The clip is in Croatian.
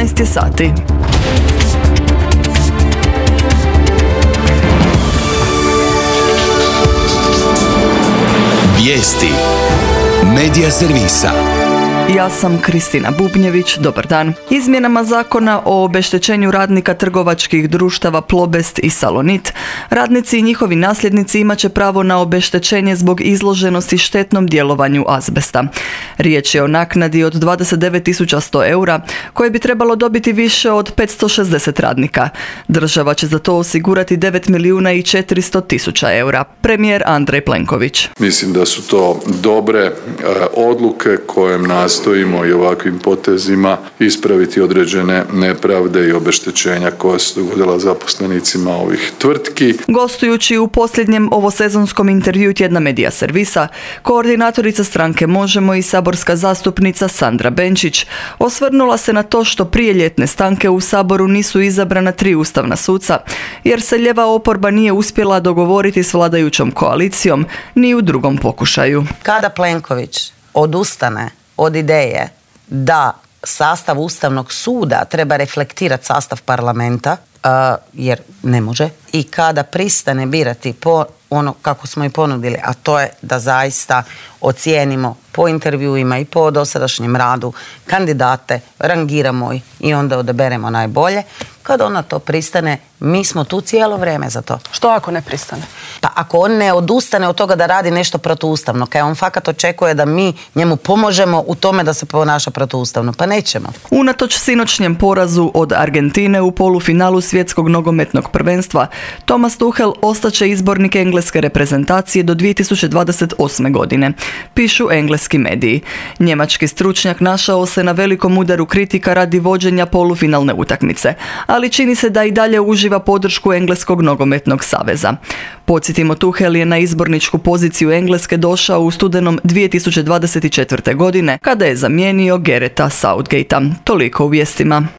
19 je sati. Vijesti Medija servisa. Ja sam Kristina Bubnjević, dobar dan. Izmjenama zakona o obeštećenju radnika trgovačkih društava Plobest i Salonit, radnici i njihovi nasljednici imat će pravo na obeštećenje zbog izloženosti štetnom djelovanju azbesta. Riječ je o naknadi od 29.100 eura, koje bi trebalo dobiti više od 560 radnika. Država će za to osigurati 9.400.000 eura. Premijer Andrej Plenković. Mislim da su to dobre odluke kojem nastojimo i ovakvim potezima ispraviti određene nepravde i obeštećenja koja su dogodila zaposlenicima ovih tvrtki. Gostujući u posljednjem ovosezonskom intervjuu tjedna Medija servisa, koordinatorica stranke Možemo i saborska zastupnica Sandra Benčić osvrnula se na to što prije ljetne stanke u Saboru nisu izabrana 3 ustavna suca, jer se lijeva oporba nije uspjela dogovoriti s vladajućom koalicijom ni u drugom pokušaju. Kada Plenković odustane od ideje da sastav Ustavnog suda treba reflektirati sastav parlamenta, jer ne može, i kada pristane birati po ono kako smo i ponudili, a to je da zaista ocijenimo po intervjuima i po dosadašnjem radu kandidate, rangiramo ih i onda odaberemo najbolje. Kada ona to pristane, mi smo tu cijelo vrijeme za to. Što ako ne pristane? Pa ako on ne odustane od toga da radi nešto protuustavno, kaj on fakat očekuje da mi njemu pomožemo u tome da se ponaša protuustavno, pa nećemo. Unatoč sinoćnjem porazu od Argentine u polufinalu svjetskog nogometnog prvenstva, Thomas Tuchel ostaće izbornik engleske reprezentacije do 2028. godine, pišu engleski mediji. Njemački stručnjak našao se na velikom udaru kritika radi vođenja polufinalne utakmice, ali čini se da i dalje uživa podršku Engleskog nogometnog saveza. Podsjetimo, Tuchel je na izborničku poziciju Engleske došao u studenom 2024. godine, kada je zamijenio Garretha Southgatea. Toliko u vijestima.